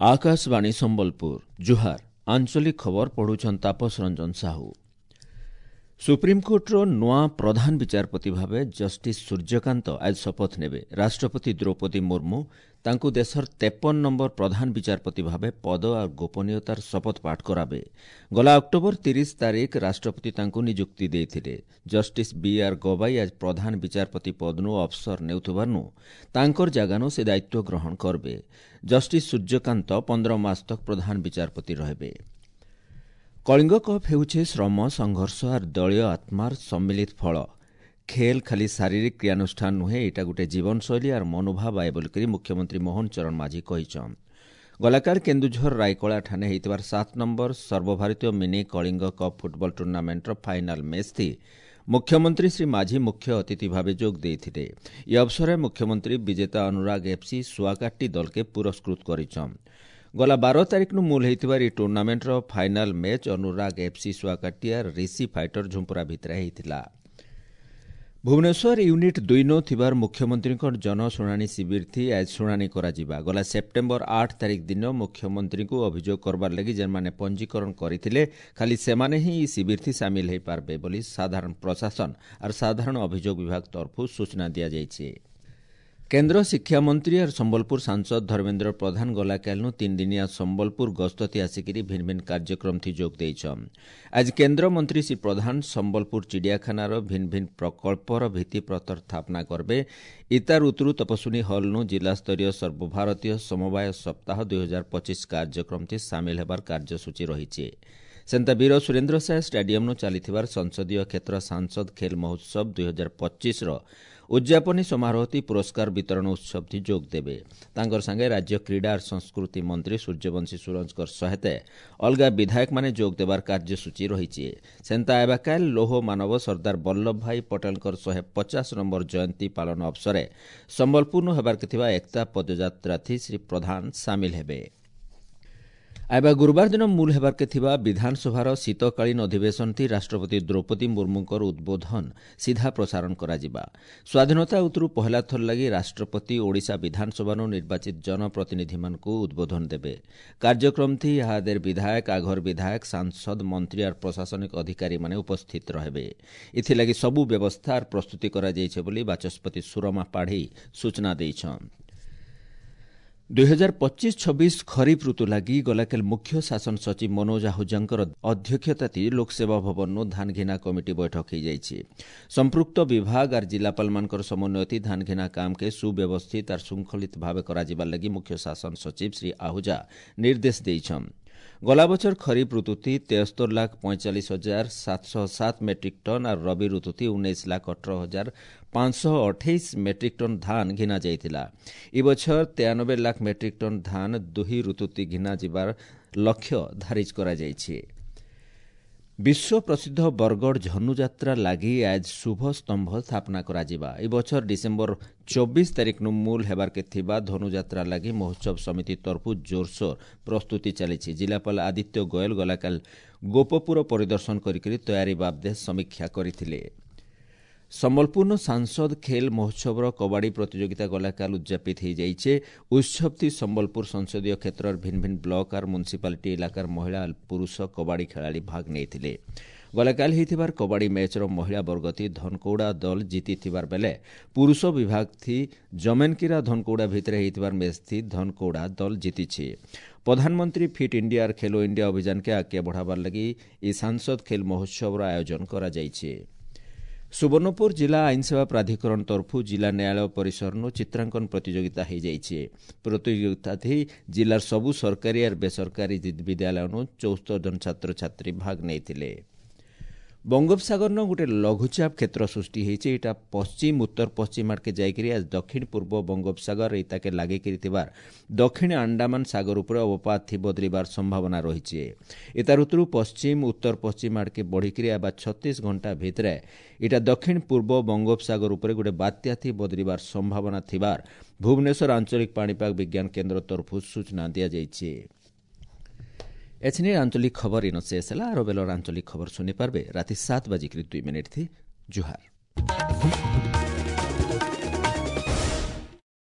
ଆକାଶବାଣୀ ସମ୍ବଲପୁର, ଜୁହାର। ଆଞ୍ଚଳିକ ଖବର ପଢୁଛନ୍ ତାପସ ରଞ୍ଜନ ସାହୁ। ସୁପ୍ରିମକୋର୍ଟର ନୂଆ ପ୍ରଧାନ ବିଚାରପତି ଭାବେ ଜଷ୍ଟିସ୍ ସୂର୍ଯ୍ୟକାନ୍ତ ଆଜି ଶପଥ ନେବେ। ରାଷ୍ଟ୍ରପତି ଦ୍ରୌପଦୀ ମୁର୍ମୁ ତାଙ୍କୁ ଦେଶର 53 ନମ୍ବର ପ୍ରଧାନ ବିଚାରପତି ଭାବେ ପଦ ଆଉ ଗୋପନୀୟତାର ଶପଥ ପାଠ କରାବେ। ଗଲା ଅକ୍ଟୋବର 30 ତାରିଖ ରାଷ୍ଟ୍ରପତି ତାଙ୍କୁ ନିଯୁକ୍ତି ଦେଇଥିଲେ। ଜଷ୍ଟିସ୍ ବି ଆର୍ ଗବାଇ ଆଜି ପ୍ରଧାନ ବିଚାରପତି ପଦନୁ ଅବସର ନେଉଥିବାରୁ ତାଙ୍କର ଜାଗାନୁ ସେ ଦାୟିତ୍ୱ ଗ୍ରହଣ କରିବେ। ଜଷ୍ଟିସ୍ ସୂର୍ଯ୍ୟକାନ୍ତ 15 ମାସ ତକ ପ୍ରଧାନ ବିଚାରପତି ରହିବେ। କଳିଙ୍ଗ କପ୍ ହେଉଛି ଶ୍ରମ, ସଂଘର୍ଷ ଆର୍ ଦଳୀୟ ଆତ୍ମାର ସମ୍ମିଳିତ ଫଳ। ଖେଲ୍ ଖାଲି ଶାରୀରିକ କ୍ରିୟାନୁଷ୍ଠାନ ନୁହେଁ, ଏଇଟା ଗୋଟେ ଜୀବନଶୈଳୀ ଆର୍ ମନୋଭାବ ଆଏ ବୋଲିକରି ମୁଖ୍ୟମନ୍ତ୍ରୀ ମୋହନ ଚରଣ ମାଝୀ କହିଛନ୍। ଗଲାକାଲ କେନ୍ଦୁଝର ରାଇକଳା ଠାନେ ହେଇଥିବାର 7 ନମ୍ବର ସର୍ବଭାରତୀୟ ମିନି କଳିଙ୍ଗ କପ୍ ଫୁଟବଲ ଟୁର୍ଣ୍ଣାମେଣ୍ଟର ଫାଇନାଲ ମ୍ୟାଚ୍ ଥି ମୁଖ୍ୟମନ୍ତ୍ରୀ ଶ୍ରୀ ମାଝୀ ମୁଖ୍ୟ ଅତିଥି ଭାବେ ଯୋଗ ଦେଇଥିଲେ। ଏ ଅବସରରେ ମୁଖ୍ୟମନ୍ତ୍ରୀ ବିଜେତା ଅନୁରାଗ ଏଫ୍ସି ସୁଆକାଟି ଦଲକେ ପୁରସ୍କୃତ କରିଛନ୍। ଗଲା 12 ତାରିଖନୁ ମୂଲ ହେଇଥିବାର ଏହି ଟୁର୍ଣ୍ଣାମେଣ୍ଟର final match Anurag FC Suakatia Rishi fighter Jhumpura ଭିତରେ ହେଇଥିଲା। ଭୁବନେଶ୍ୱର ୟୁନିଟ୍ 2 ନୋ ଥିବାର ମୁଖ୍ୟମନ୍ତ୍ରୀଙ୍କ ଜନଶୁଣାଣି ଶିବିର ଥି ଆଜି ଶୁଣାଣି କରାଯିବା। ଗଲା ସେପ୍ଟେମ୍ବର 8 ତାରିଖ ଦିନ ମୁଖ୍ୟମନ୍ତ୍ରୀଙ୍କୁ ଅଭିଯୋଗ କରବାର ଲାଗି ଯେନ୍ମାନେ ପଞ୍ଜୀକରଣ କରିଥିଲେ, ଖାଲି ସେମାନେ ହିଁ ଏହି ଶିବିର ଥି ସାମିଲ ହୋଇପାରିବେ ବୋଲି ସାଧାରଣ ପ୍ରଶାସନ ଆର୍ ସାଧାରଣ ଅଭିଯୋଗ ବିଭାଗ ତରଫରୁ ସୂଚନା ଦିଆଯାଇଛି। କେନ୍ଦ୍ର ଶିକ୍ଷାମନ୍ତ୍ରୀ ଆର୍ ସମ୍ବଲପୁର ସାଂସଦ ଧର୍ମେନ୍ଦ୍ର ପ୍ରଧାନ ଗଲାକାଲିନୁ 3 ଦିନିଆ ସମ୍ବଲପୁର ଗସ୍ତତି ଆସିକିରି ଭିନ୍ନ ଭିନ୍ନ କାର୍ଯ୍ୟକ୍ରମ ଥି ଯୋଗ ଦେଇଛନ୍। ଆଜି କେନ୍ଦ୍ରମନ୍ତ୍ରୀ ଶ୍ରୀ ପ୍ରଧାନ ସମ୍ବଲପୁର ଚିଡ଼ିଆଖାନାର ଭିନ୍ନ ଭିନ୍ନ ପ୍ରକଳ୍ପର ଭିତ୍ତିପ୍ରସ୍ତର ସ୍ଥାପନା କରିବେ। ଇତାର ଉତରୁ ତପସ୍ୱିନୀ ହଲ୍ନୁ ଜିଲ୍ଲାସ୍ତରୀୟ ସର୍ବଭାରତୀୟ ସମବାୟ ସପ୍ତାହ 2025 କାର୍ଯ୍ୟକ୍ରମ ଥି ସାମିଲ ହେବାର କାର୍ଯ୍ୟସୂଚୀ ରହିଛି। ସେନ୍ତା ବୀର ସୁରେନ୍ଦ୍ର ସାଏ ଷ୍ଟାଡିୟମ୍ନୁ ଚାଲିଥିବାର ସଂସଦୀୟ କ୍ଷେତ୍ର ସାଂସଦ ଖେଲ ମହୋତ୍ସବ 2025ର ଉଦ୍ଯାପନୀ ସମାରୋହତି ପୁରସ୍କାର ବିତରଣ ଉତ୍ସବଥି ଯୋଗ ଦେବେ। ତାଙ୍କର ସାଙ୍ଗେ ରାଜ୍ୟ କ୍ରୀଡ଼ା ସଂସ୍କୃତି ମନ୍ତ୍ରୀ ସୂର୍ଯ୍ୟବଂଶୀ ସୁରଜଙ୍କର ସହିତ ଅଲଗା ବିଧାୟକମାନେ ଯୋଗ ଦେବାର କାର୍ଯ୍ୟସୂଚୀ ରହିଛି। ସେନ୍ତା ଏବାକାଲ ଲୌହ ମାନବ ସର୍ଦ୍ଦାର ବଲ୍ଲଭ ଭାଇ ପଟେଲଙ୍କର 150 ନମ୍ବର ଜୟନ୍ତୀ ପାଳନ ଅବସରେ ସମ୍ବଲପୁରନୁ ହେବାର୍କେ ଥିବା ଏକତା ପଦଯାତ୍ରାଥି ଶ୍ରୀ ପ୍ରଧାନ ସାମିଲ ହେବେ। ଆଇବା ଗୁରୁବାର ଦିନ ମୂଲ ହେବାର୍କେ ଥିବା ବିଧାନସଭାର ଶୀତକାଳୀନ ଅଧିବେଶନଥି ରାଷ୍ଟ୍ରପତି ଦ୍ରୌପଦୀ ମୁର୍ମୁଙ୍କର ଉଦ୍ବୋଧନ ସିଧା ପ୍ରସାରଣ କରାଯିବା। ସ୍ୱାଧୀନତା ଉତରୁ ପହଲା ଥର ଲାଗି ରାଷ୍ଟ୍ରପତି ଓଡ଼ିଶା ବିଧାନସଭାନୁ ନିର୍ବାଚିତ ଜନପ୍ରତିନିଧିମାନଙ୍କୁ ଉଦ୍ବୋଧନ ଦେବେ। କାର୍ଯ୍ୟକ୍ରମଥି ଇହାଦେର ବିଧାୟକ, ଆଘର ବିଧାୟକ, ସାଂସଦ, ମନ୍ତ୍ରୀ ଆର୍ ପ୍ରଶାସନିକ ଅଧିକାରୀମାନେ ଉପସ୍ଥିତ ରହିବେ। ଏଥିଲାଗି ସବୁ ବ୍ୟବସ୍ଥା ଆର୍ ପ୍ରସ୍ତୁତି କରାଯାଇଛି ବୋଲି ବାଚସ୍ପତି ସୁରମା ପାଢ଼ୀ ସୂଚନା ଦେଇଛନ୍। 2025-26 ଖରିଫ ଋତୁ ଲାଗି ଗଲାକାଲି ମୁଖ୍ୟ ଶାସନ ସଚିବ ମନୋଜ ଆହୁଜାଙ୍କର ଅଧ୍ୟକ୍ଷତାତି ଲୋକସେବା ଭବନରୁ ଧାନଘିନା କମିଟି ବୈଠକ ହୋଇଯାଇଛି। ସମ୍ପୃକ୍ତ ବିଭାଗ ଆର୍ ଜିଲ୍ଲାପାଳମାନଙ୍କର ସମନ୍ୱୟତି ଧାନଘିନା କାମକେ ସୁବ୍ୟବସ୍ଥିତ ଆର୍ ଶୃଙ୍ଖଳିତ ଭାବେ କରାଯିବାର ଲାଗି ମୁଖ୍ୟ ଶାସନ ସଚିବ ଶ୍ରୀ ଆହୁଜା ନିର୍ଦ୍ଦେଶ ଦେଇଛନ୍। ଗଲା ବଛର ଖରିଫ ଋତୁଥି 73,45,707 ମେଟ୍ରିକ୍ ଟନ୍ ଆର୍ ରବି ଋତୁଥି 19,18,528 ମେଟ୍ରିକ୍ ଟନ୍ ଧାନ ଘିନା ଯାଇଥିଲା। ଏ ବଛର 93 ଲାଖ ମେଟ୍ରିକ୍ ଟନ୍ ଧାନ ଦୁହି ଋତୁତି ଘିନା ଯିବାର ଲକ୍ଷ୍ୟ ଧାରିଜ କରାଯାଇଛି। ବିଶ୍ୱ ପ୍ରସିଦ୍ଧ ବରଗଡ଼ ଝନୁଯାତ୍ରା ଲାଗି ଆଜ ଶୁଭ ସ୍ତମ୍ଭ ସ୍ଥାପନା କରାଯିବା। ଏ ବଛର ଡିସେମ୍ବର 24 ତାରିଖନୁ ମୂଲ ହେବାର୍କେ ଥିବା ଧନୁଯାତ୍ରା ଲାଗି ମହୋତ୍ସବ ସମିତି ତରଫରୁ ଜୋରସୋର ପ୍ରସ୍ତୁତି ଚାଲିଛି। ଜିଲ୍ଲାପାଳ ଆଦିତ୍ୟ ଗୋୟଲ ଗଲାକାଲ ଗୋପପୁର ପରିଦର୍ଶନ କରିକରି ତୟାରୀ ବାବଦେ ସମୀକ୍ଷା କରିଥିଲେ। ସମ୍ବଲପୁର ସାଂସଦ ଖେଲ ମହୋତ୍ସବର କବାଡ଼ି ପ୍ରତିଯୋଗିତା ଗଲାକାଲ ଉଦ୍ଯାପିତ ହୋଇଯାଇଛି। ଉତ୍ସବଥି ସମ୍ବଲପୁର ସଂସଦୀୟ କ୍ଷେତ୍ରର ଭିନ୍ନ ଭିନ୍ନ ବ୍ଲକ ଆର୍ ମ୍ୟୁନିସିପାଲିଟି ଇଲାକାର ମହିଳା ପୁରୁଷ କବାଡ଼ି ଖେଳାଳି ଭାଗ ନେଇଥିଲେ। ଗଲାକାଲ ହେଇଥିବାର କବାଡ଼ି ମ୍ୟାଚ୍ର ମହିଳା ବର୍ଗଥି ଧନକୌଡ଼ା ଦଳ ଜିତିଥିବାର ବେଲେ ପୁରୁଷ ବିଭାଗଥି ଜମେନକିରା ଧନକୌଡ଼ା ଭିତରେ ହେଇଥିବାର ମ୍ୟାଚ୍ଥି ଧନକୌଡ଼ା ଦଳ ଜିତିଛି। ପ୍ରଧାନମନ୍ତ୍ରୀ ଫିଟ୍ ଇଣ୍ଡିଆ ଆର୍ ଖେଲୋ ଇଣ୍ଡିଆ ଅଭିଯାନକେ ଆଗକେ ବଢ଼ାବାର ଲାଗି ଇ ସାଂସଦ ଖେଲ ମହୋତ୍ସବର ଆୟୋଜନ କରାଯାଇଛି। ସୁବର୍ଣ୍ଣପୁର ଜିଲ୍ଲା ଆଇନସେବା ପ୍ରାଧିକରଣ ତରଫରୁ ଜିଲ୍ଲା ନ୍ୟାୟାଳୟ ପରିସରନୁ ଚିତ୍ରାଙ୍କନ ପ୍ରତିଯୋଗିତା ହୋଇଯାଇଛି। ପ୍ରତିଯୋଗିତାଥି ଜିଲ୍ଲାର ସବୁ ସରକାରୀ ଆର୍ ବେସରକାରୀ ବିଦ୍ୟାଳୟନୁ 74 ଜଣ ଛାତ୍ରଛାତ୍ରୀ ଭାଗ ନେଇଥିଲେ। ବଙ୍ଗୋପସାଗରନ ଗୋଟେ ଲଘୁଚାପ କ୍ଷେତ୍ର ସୃଷ୍ଟି ହେଇଛି। ଏଇଟା ପଶ୍ଚିମ ଉତ୍ତର ପଶ୍ଚିମ ଆଡ଼କେ ଯାଇକରି ଆଜ ଦକ୍ଷିଣ ପୂର୍ବ ବଙ୍ଗୋପସାଗର ଏଇତାକେ ଲାଗିକରି ଥିବାର ଦକ୍ଷିଣ ଆଣ୍ଡାମାନ ସାଗର ଉପରେ ଅବପାତ ଥି ବଦଳିବାର ସମ୍ଭାବନା ରହିଛି। ଏତାର ଉତ୍ତରୁ ପଶ୍ଚିମ ଉତ୍ତର ପଶ୍ଚିମ ଆଡ଼କେ ବଢ଼ିକରି ଆବା 36 ଘଣ୍ଟା ଭିତରେ ଏଇଟା ଦକ୍ଷିଣ ପୂର୍ବ ବଙ୍ଗୋପସାଗର ଉପରେ ଗୋଟେ ବାତ୍ୟା ଥି ବଦଳିବାର ସମ୍ଭାବନା ଥିବାର ଭୁବନେଶ୍ୱର ଆଞ୍ଚଳିକ ପାଣିପାଗ ବିଜ୍ଞାନ କେନ୍ଦ୍ର ତରଫରୁ ସୂଚନା ଦିଆଯାଇଛି। ଏଛିନି ଆଞ୍ଚଳିକ ଖବର ଇନ ଶେଷ ହେଲା। ଆର ବେଲର ଆଞ୍ଚଳିକ ଖବର ଶୁଣିପାରିବେ ରାତି 7:02 ଥି। ଜୁହାର।